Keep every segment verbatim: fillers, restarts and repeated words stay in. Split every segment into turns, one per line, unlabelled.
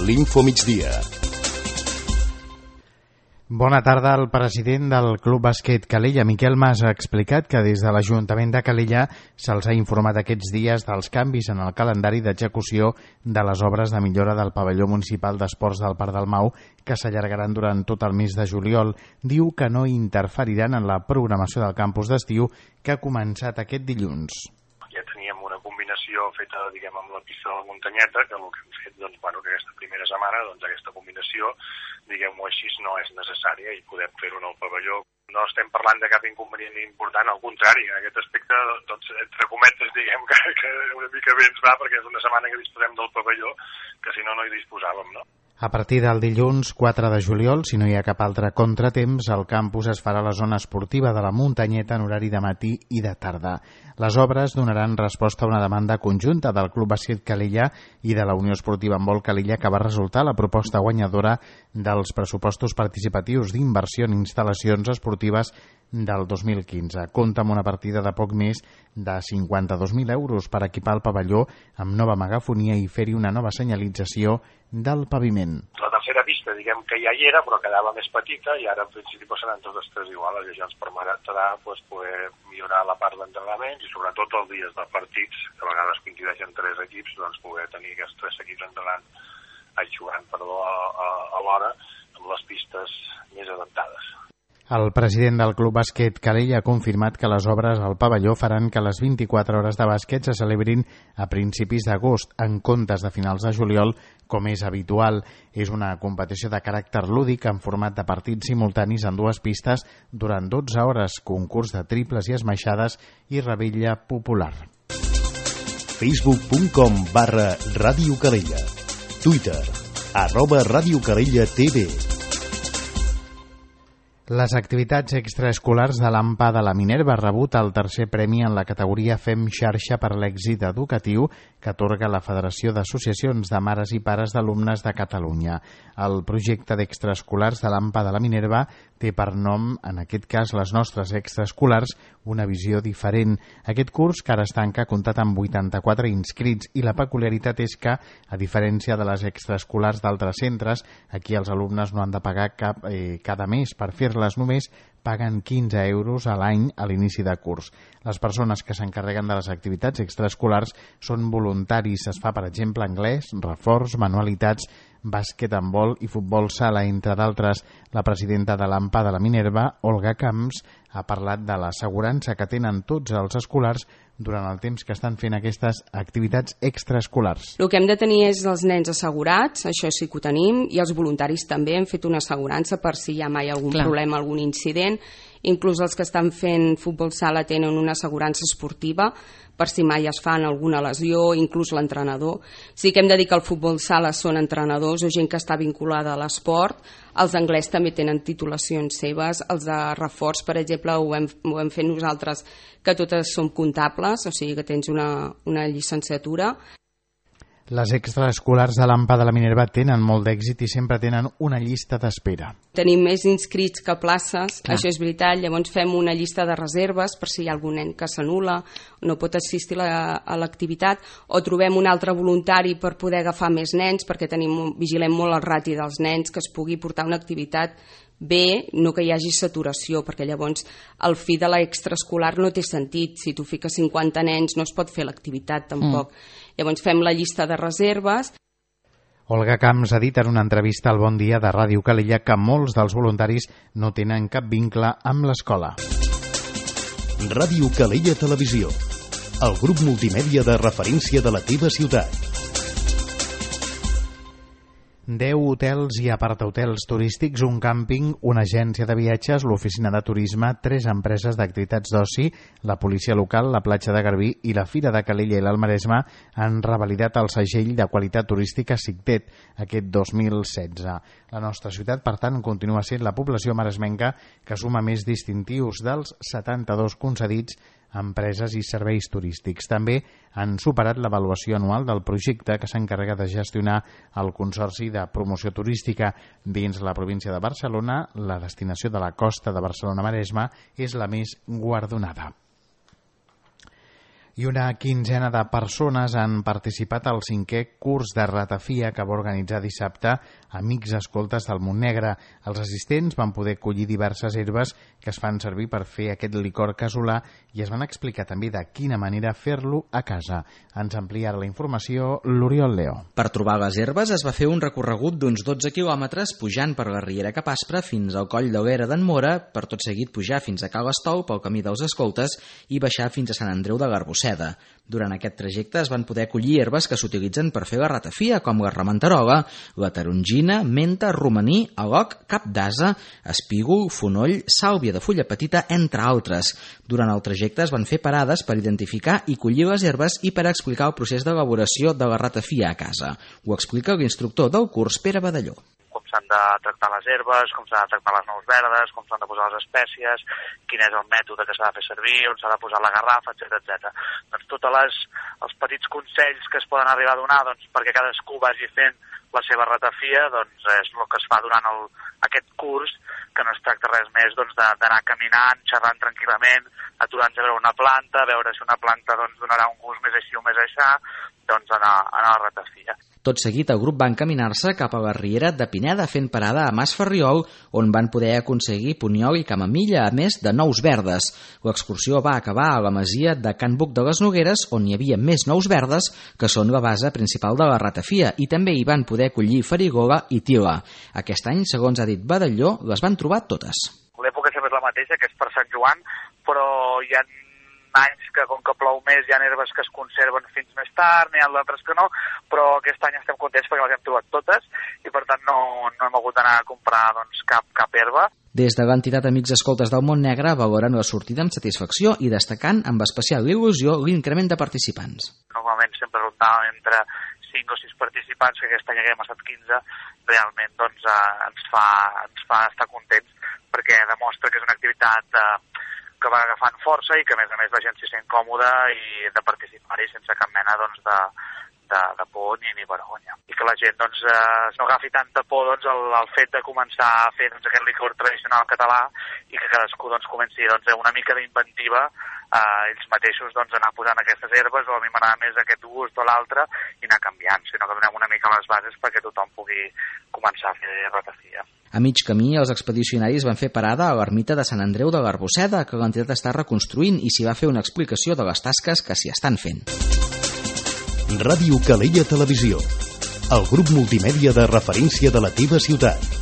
l'Info Migdia.
Bona tarda. El president del Club Bàsquet Calella, Miquel Mas, ha explicat que des de l'Ajuntament de Calella se'ls ha informat aquests dies dels canvis en el calendari d'execució de les obres de millora del pavelló municipal d'esports del Parc del Mau, que s'allargaran durant tot el mes de juliol. Diu que no interferiran en la programació del campus d'estiu, que ha començat aquest dilluns.
Ja teníem una combinació feta, diguem, amb la pista de la muntanyeta, que el que hem fet, doncs, bueno, que aquesta primera setmana, doncs, aquesta combinació, diguem-ho així, no és necessària i podem fer-ho en el pavelló. No estem parlant de cap inconvenient important, al contrari, en aquest aspecte, doncs, entre cometes, diguem que, que una mica bé ens va, perquè és una setmana que disposem del pavelló, que si no, no hi disposàvem, no?
A partir del dilluns quatre de juliol, si no hi ha cap altre contratemps, el campus es farà a la zona esportiva de la muntanyeta en horari de matí i de tarda. Les obres donaran resposta a una demanda conjunta del Club Bàsquet Calella i de la Unió Esportiva Handbol Calella, que va resultar la proposta guanyadora dels pressupostos participatius d'inversió en instal·lacions esportives del dos mil quinze. Compta amb una partida de poc més de cinquanta-dos mil euros per equipar el pavelló amb nova megafonia i fer-hi una nova senyalització del paviment.
La tercera pista, diguem que ja hi era, però quedava més petita i ara en principi seran totes tres iguals, i això ens permetrà pues, poder millorar la part d'entrenaments i sobretot els dies de partits, que a vegades coincideixen tres equips, doncs poder tenir aquests tres equips entrenant, ai, jugant perdó, a, a, a l'hora amb les pistes més adaptades.
El president del Club Bàsquet Calella ha confirmat que les obres al pavelló faran que les vint-i-quatre hores de bàsquet se celebrin a principis d'agost, en comptes de finals de juliol, com és habitual. És una competició de caràcter lúdic en format de partits simultanis en dues pistes durant dotze hores, concurs de triples i esmaixades i revetlla popular.
facebook punt com barra Ràdio Calella. Twitter, arroba Ràdio Calella T V.
Les activitats extraescolars de l'A M P A de la Minerva ha rebut el tercer premi en la categoria Fem Xarxa per l'èxit educatiu que atorga la Federació d'Associacions de Mares i Pares d'Alumnes de Catalunya. El projecte d'extraescolars de l'A M P A de la Minerva té per nom, en aquest cas, Les nostres extraescolars, una visió diferent. Aquest curs, que ara es tanca, ha comptat amb vuitanta-quatre inscrits i la peculiaritat és que, a diferència de les extraescolars d'altres centres, aquí els alumnes no han de pagar cap eh, cada mes per fer-les, només paguen quinze euros a l'any a l'inici de curs. Les persones que s'encarreguen de les activitats extraescolars són voluntaris. Es fa, per exemple, anglès, reforç, manualitats, bàsquet, handbol i futbol sala, entre d'altres. La presidenta de l'A M P A de la Minerva, Olga Camps, ha parlat de l'assegurança que tenen tots els escolars durant el temps que estan fent aquestes activitats extraescolars.
El que hem de tenir és els nens assegurats, això sí que ho tenim, i els voluntaris també hem fet una assegurança per si hi ha mai algun Clar. problema, algun incident. Inclús els que estan fent futbol sala tenen una assegurança esportiva per si mai es fan alguna lesió, inclús l'entrenador. Sí que hem de dir que el futbol sala són entrenadors o gent que està vinculada a l'esport. Els d'anglès també tenen titulacions seves. Els de reforç, per exemple, ho hem, ho hem fet nosaltres, que totes som comptables, o sigui que tens una, una llicenciatura.
Les extraescolars de l'A M P A de la Minerva tenen molt d'èxit i sempre tenen una llista d'espera.
Tenim més inscrits que places, ah. això és veritat, llavors fem una llista de reserves per si hi ha algun nen que s'anul·la, no pot assistir la, a l'activitat, o trobem un altre voluntari per poder agafar més nens, perquè tenim, vigilem molt el rati dels nens, que es pugui portar una activitat bé, no que hi hagi saturació, perquè llavors el fi de l'extraescolar no té sentit. Si tu fiques cinquanta nens no es pot fer l'activitat tampoc. Mm. Llavors fem la llista de reserves.
Olga Camps ha dit en una entrevista al Bon Dia de Ràdio Calella que molts dels voluntaris no tenen cap vincle amb l'escola.
Ràdio Calella Televisió, el grup multimèdia de referència de la teva ciutat.
deu hotels i apartahotels turístics, un càmping, una agència de viatges, l'oficina de turisme, tres empreses d'activitats d'oci, la policia local, la platja de Garbí i la Fira de Calella i l'Almaresme han revalidat el segell de qualitat turística SICTET aquest dos mil setze. La nostra ciutat, per tant, continua sent la població maresmenca que suma més distintius dels setanta-dos concedits a empreses i serveis turístics. També han superat l'avaluació anual del projecte que s'encarrega de gestionar el Consorci de Promoció Turística. Dins la província de Barcelona, la destinació de la costa de Barcelona-Maresme és la més guardonada. I una quinzena de persones han participat al cinquè curs de ratafia que va organitzar dissabte Amics Escoltes del Montnegre. Els assistents van poder collir diverses herbes que es fan servir per fer aquest licor casolà i es van explicar també de quina manera fer-lo a casa. Ens amplia la informació l'Oriol Leo.
Per trobar les herbes es va fer un recorregut d'uns dotze quilòmetres pujant per la Riera Cap Aspre fins al Coll d'Hoguera d'en Mora, per tot seguit pujar fins a Cal Estou pel camí dels Escoltes i baixar fins a Sant Andreu de l'Arbosseda. Durant aquest trajecte es van poder collir herbes que s'utilitzen per fer la ratafia, com la rementerola, la tarongina, menta, romaní, aloc, cap d'ase, espígol, fonoll, sàlvia de fulla petita, entre altres. Durant el trajecte es van fer parades per identificar i collir les herbes i per explicar el procés d'elaboració de la ratafia a casa. Ho explica l'instructor del curs, Pere Badalló.
Com s'han de tractar les herbes, com s'han de tractar les nous verdes, com s'han de posar les espècies, quin és el mètode que s'ha de fer servir, on s'ha de posar la garrafa, etcètera etcètera. Doncs tots els petits consells que es poden arribar a donar doncs, perquè cadascú vagi fent la seva ratafia, doncs és el que es fa durant el, aquest curs, que no es tracta res més doncs, d'anar caminant, xerrant tranquil·lament, aturant-se a veure una planta, veure si una planta doncs, donarà un gust més així o més aixà, doncs anar, anar a la ratafia.
Tot seguit, el grup va encaminar-se cap a la Riera de Pineda fent parada a Mas Ferriol, on van poder aconseguir punyol i camamilla, a més de nous verdes. L'excursió va acabar a la masia de Can Buc de les Nogueres, on hi havia més nous verdes, que són la base principal de la ratafia, i també hi van poder collir farigola i tila. Aquest any, segons ha dit Badalló, les van trobar totes.
L'època sempre és la mateixa, que és per Sant Joan, però hi ha anys que com que plou més hi ha herbes que es conserven fins més tard, n'hi ha d'altres que no, però aquest any estem contents perquè les hem trobat totes i per tant no, no hem hagut d'anar a comprar doncs, cap, cap herba.
Des de l'entitat Amics Escoltes del Montnegre valoren la sortida amb satisfacció i destacant amb especial il·lusió l'increment de participants.
Normalment sempre rondàvem entre cinc o sis participants, que aquest any haguem estat quinze, realment doncs, eh, ens, fa, ens fa estar contents perquè demostra que és una activitat eh, que va agafant força i que a més a més la gent s'hi sent còmoda i de participar-hi sense cap mena doncs, de, de, de por ni, ni vergonya. I que la gent doncs, eh, no agafi tanta por doncs, el, el fet de començar a fer doncs, aquest licor tradicional català i que cadascú doncs, comenci doncs, una mica d'inventiva eh, ells mateixos doncs, anar posant aquestes herbes o a mi m'agrada més aquest gust o l'altre i anar canviant, sinó que donem una mica les bases perquè tothom pugui començar a fer ratafia.
A mig camí, els expedicionaris van fer parada a l'ermita de Sant Andreu de l'Arbosseda, que l'entitat està reconstruint i s'hi va fer una explicació de les tasques que s'hi estan fent.
Ràdio Calella Televisió, el grup multimèdia de referència de la teva ciutat.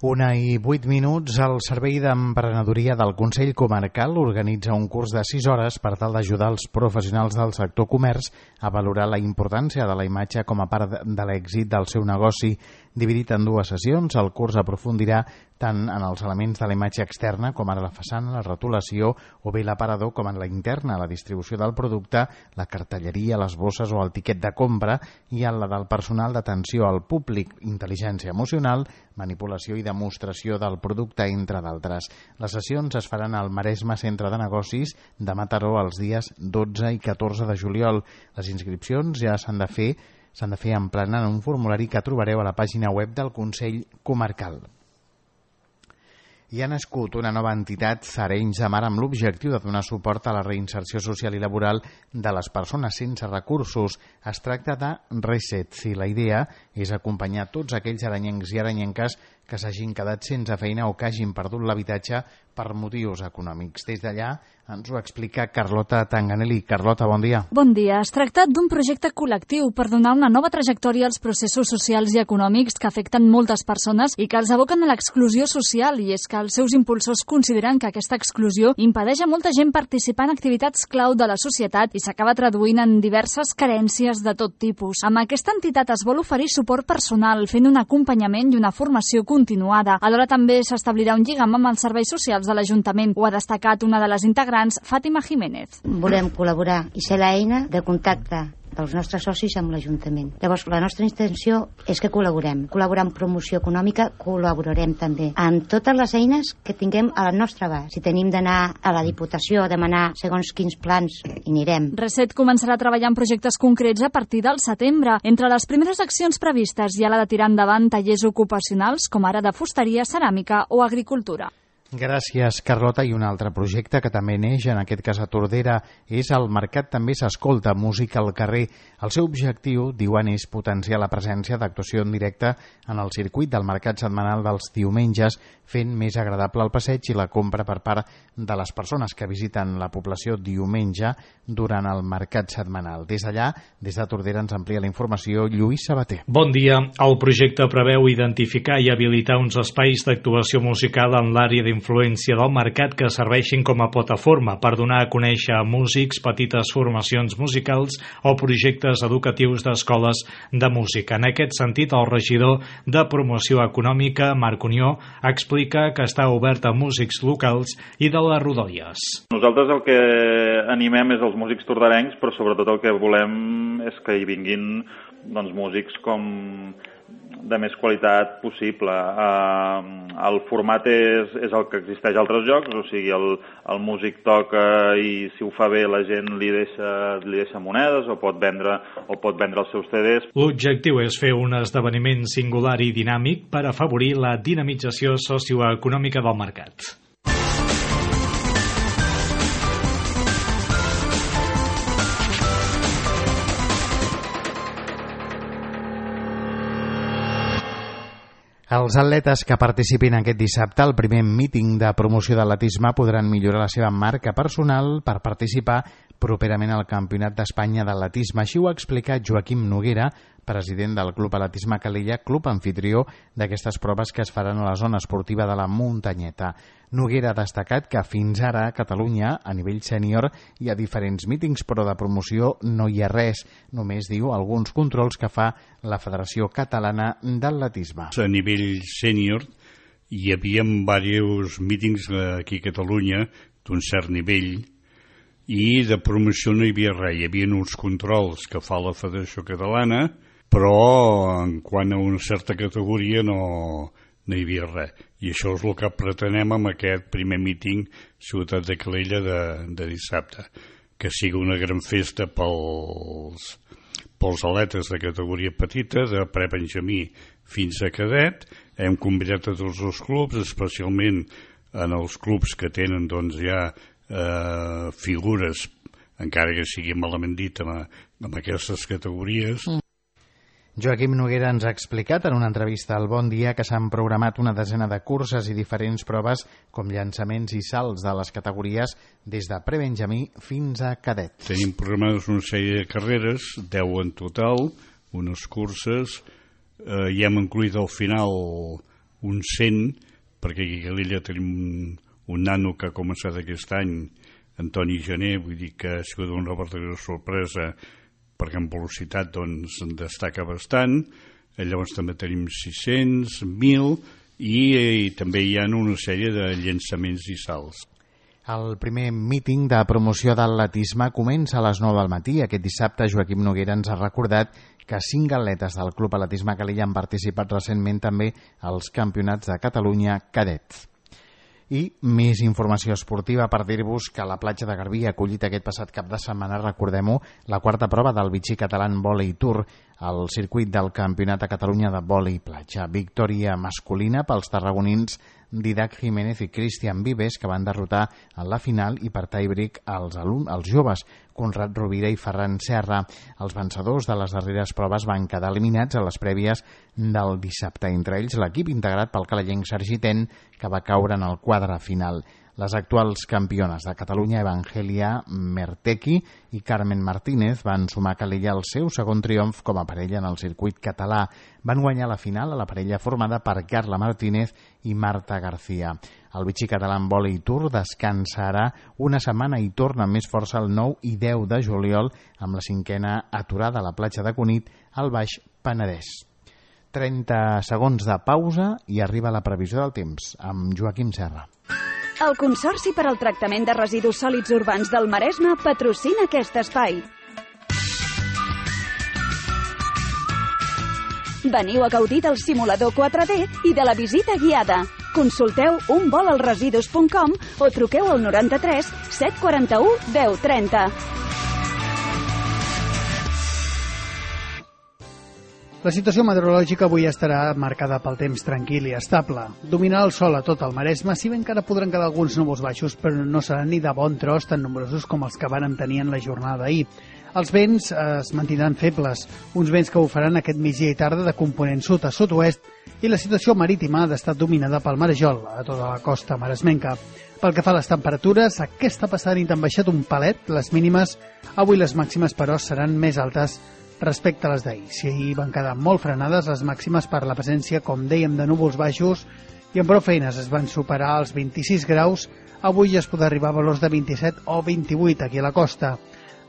Una i vuit minuts, el Servei d'Emprenedoria del Consell Comarcal organitza un curs de sis hores per tal d'ajudar els professionals del sector comerç a valorar la importància de la imatge com a part de l'èxit del seu negoci. Dividit en dues sessions, el curs aprofundirà tant en els elements de la imatge externa, com ara la façana, la rotulació o bé l'aparador, com en la interna, la distribució del producte, la cartelleria, les bosses o el tiquet de compra, i en la del personal d'atenció al públic, intel·ligència emocional, manipulació i demostració del producte, entre d'altres. Les sessions es faran al Maresme Centre de Negocis de Mataró els dies dotze i catorze de juliol. Les inscripcions ja s'han de fer s'han de fer emplenant un formulari que trobareu a la pàgina web del Consell Comarcal. Hi ha nascut una nova entitat, Arenys de Mar, amb l'objectiu de donar suport a la reinserció social i laboral de les persones sense recursos. Es tracta de Reset, i la idea és acompanyar tots aquells aranyencs i aranyenques que s'hagin quedat sense feina o que hagin perdut l'habitatge per motius econòmics. Des d'allà ens ho explica Carlota Tanganelli. Carlota, bon dia.
Bon dia. Es tracta d'un projecte col·lectiu per donar una nova trajectòria als processos socials i econòmics que afecten moltes persones i que els aboquen a l'exclusió social, i és que els seus impulsors consideren que aquesta exclusió impedeix a molta gent participar en activitats clau de la societat i s'acaba traduint en diverses carències de tot tipus. Amb aquesta entitat es vol oferir suport personal, fent un acompanyament i una formació continuada. Alhora també s'establirà un lligam amb els serveis socials de l'Ajuntament. Ho ha destacat una de les integrants, Fàtima Jiménez.
Volem col·laborar i ser l'eina de contacte dels nostres socis amb l'Ajuntament. Llavors, la nostra intenció és que col·laborem. Col·laborar en promoció econòmica, col·laborarem també en totes les eines que tinguem a la nostra abast. Si tenim d'anar a la Diputació a demanar segons quins plans, hi anirem.
Reset començarà a treballar en projectes concrets a partir del setembre. Entre les primeres accions previstes hi ha la de tirar endavant tallers ocupacionals, com ara de fusteria, ceràmica o agricultura.
Gràcies, Carlota. I un altre projecte que també neix, en aquest cas a Tordera, és el Mercat també s'escolta, música al carrer. El seu objectiu, diuen, és potenciar la presència d'actuació en directe en el circuit del mercat setmanal dels diumenges, fent més agradable el passeig i la compra per part de les persones que visiten la població diumenge durant el mercat setmanal. Des d'allà, des de Tordera, ens amplia la informació Lluís Sabater.
Bon dia. El projecte preveu identificar i habilitar uns espais d'actuació musical en l'àrea d'influència del mercat que serveixin com a plataforma per donar a conèixer a músics, petites formacions musicals o projectes educatius d'escoles de música. En aquest sentit, el regidor de Promoció Econòmica, Marc Unió, explica que està obert a músics locals i de les rodalies.
Nosaltres el que animem és els músics tordarencs, però sobretot el que volem és que hi vinguin doncs, músics com de més qualitat possible. Uh, el format és, és el que existeix a altres llocs, o sigui, el, el músic toca i si ho fa bé la gent li deixa, li deixa monedes o pot vendre o pot vendre els seus C Ds.
L'objectiu és fer un esdeveniment singular i dinàmic per afavorir la dinamització socioeconòmica del mercat.
Els atletes que participin aquest dissabte al primer míting de promoció d'atletisme podran millorar la seva marca personal per participar properament al Campionat d'Espanya d'atletisme. Així ho ha explicat Joaquim Noguera, president del Club Atletisme Calella, club anfitrió d'aquestes proves que es faran a la zona esportiva de la Muntanyeta. Noguera ha destacat que fins ara a Catalunya, a nivell sènior, hi ha diferents mítings, però de promoció no hi ha res. Només, diu, alguns controls que fa la Federació Catalana d'Atletisme.
A nivell sènior hi havia diversos mítings aquí a Catalunya d'un cert nivell i de promoció no hi havia res. Hi havia uns controls que fa la Federació Catalana, però en quant a una certa categoria no, no hi havia res. I això és el que pretenem amb aquest primer míting Ciutat de Calella de, de dissabte, que sigui una gran festa pels, pels atletes de categoria petita, de pre-benjamí fins a cadet. Hem convidat a tots els clubs, especialment en els clubs que tenen doncs, ja eh, figures, encara que sigui malament dit, amb, amb aquestes categories. Mm.
Joaquim Noguera ens ha explicat en una entrevista al Bon Dia que s'han programat una desena de curses i diferents proves com llançaments i salts de les categories des de pre-benjamí fins a cadet.
Tenim programades una sèrie de carreres, deu en total, unes curses, eh, i hem incluït al final un cent, perquè aquí a Calella tenim un, un nano que ha començat aquest any, Antoni Gené, vull dir que ha sigut una verdadera sorpresa, perquè en velocitat doncs, destaca bastant. Llavors també tenim sis-cents, mil i, i també hi ha una sèrie de llançaments i salts.
El primer míting de promoció d'atletisme comença a les nou del matí. Aquest dissabte Joaquim Noguera ens ha recordat que cinc atletes del Club Atletisme Calella han participat recentment també als Campionats de Catalunya cadets. I més informació esportiva per dir-vos que la platja de Garbí ha acollit aquest passat cap de setmana, recordem-ho, la quarta prova del Vichy Català Volley Tour, al circuit del Campionat de Catalunya de Volley Platja. Victòria masculina pels tarragonins Didac Jiménez i Cristian Vives, que van derrotar en la final i per tie-break els, els joves Conrad Rovira i Ferran Serra. Els vencedors de les darreres proves van quedar eliminats a les prèvies del dissabte, entre ells l'equip integrat pel calellenc Sergi Ten, que va caure en el quadre final. Les actuals campiones de Catalunya, Evangelia Mertequi i Carmen Martínez, van sumar a Calella el seu segon triomf com a parella en el circuit català. Van guanyar la final a la parella formada per Carla Martínez i Marta García. El Vichy Català Volley Tour descansa ara una setmana i torna amb més força el nou i deu de juliol amb la cinquena aturada a la platja de Cunit al Baix Penedès. trenta segons de pausa i arriba la previsió del temps amb Joaquim Serra.
El Consorci per al Tractament de Residus Sòlids Urbans del Maresme patrocina aquest espai. Veniu a gaudir del simulador quatre D i de la visita guiada. Consulteu un vol als residus punt com o truqueu al noranta-tres set quaranta-u deu trenta.
La situació meteorològica avui estarà marcada pel temps tranquil i estable. Dominarà el sol a tot el Maresme, si bé encara podran quedar alguns núvols baixos, però no seran ni de bon tros tan nombrosos com els que van tenir en la jornada d'ahir. Els vents es mantindran febles, uns vents que bufaran aquest migdia i tarda de component sud a sud-oest, i la situació marítima ha d'estar dominada pel marejol a tota la costa maresmenca. Pel que fa a les temperatures, aquesta passada nit han baixat un palet, les mínimes, avui les màximes però seran més altes respecte a les d'ahir. Si ahir van quedar molt frenades, les màximes per la presència, com dèiem, de núvols baixos i amb prou feines es van superar els vint-i-sis graus, avui ja es podrà arribar a valors de vint-i-set o vint-i-vuit aquí a la costa.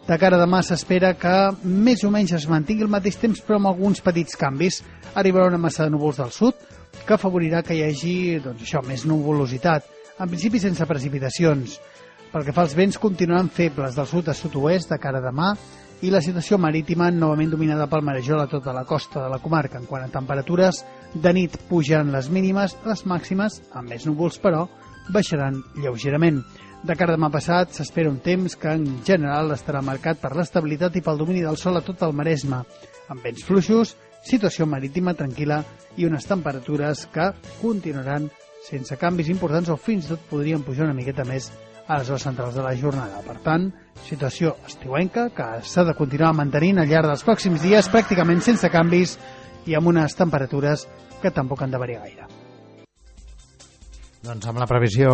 De cara a demà s'espera que més o menys es mantingui el mateix temps però amb alguns petits canvis. Arribarà una massa de núvols del sud que afavorirà que hi hagi doncs, això, més nuvolositat, en principi sense precipitacions. Pel que fa als vents, continuaran febles del sud a sud-oest de cara a demà i la situació marítima novament dominada pel marejol a tota la costa de la comarca. En quant a temperatures, de nit pujaran les mínimes, les màximes, amb més núvols però, baixaran lleugerament. De cara a demà passat s'espera un temps que en general estarà marcat per l'estabilitat i pel domini del sol a tot el Maresme, amb vents fluixos, situació marítima tranquil·la i unes temperatures que continuaran sense canvis importants o fins i tot podrien pujar una miqueta més a les hores centrals de la jornada. Per tant, situació estiuenca que s'ha de continuar mantenint al llarg dels pròxims dies pràcticament sense canvis i amb unes temperatures que tampoc han de variar gaire.
Doncs amb la previsió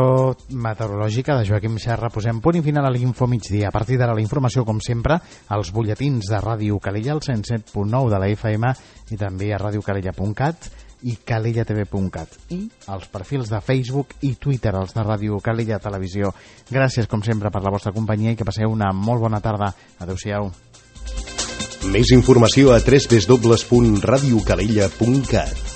meteorològica de Joaquim Serra posem punt i final a l'Info Migdia. A partir d'ara la informació, com sempre, als butlletins de Ràdio Calella, al cent set punt nou de la F M i també a radiocalella punt cat i calella t v punt cat i als perfils de Facebook i Twitter, els de Ràdio Calella Televisió. Gràcies, com sempre, per la vostra companyia i que passeu una molt bona tarda. Adéu-siau.
Més informació a w w w punt radiocalella punt cat.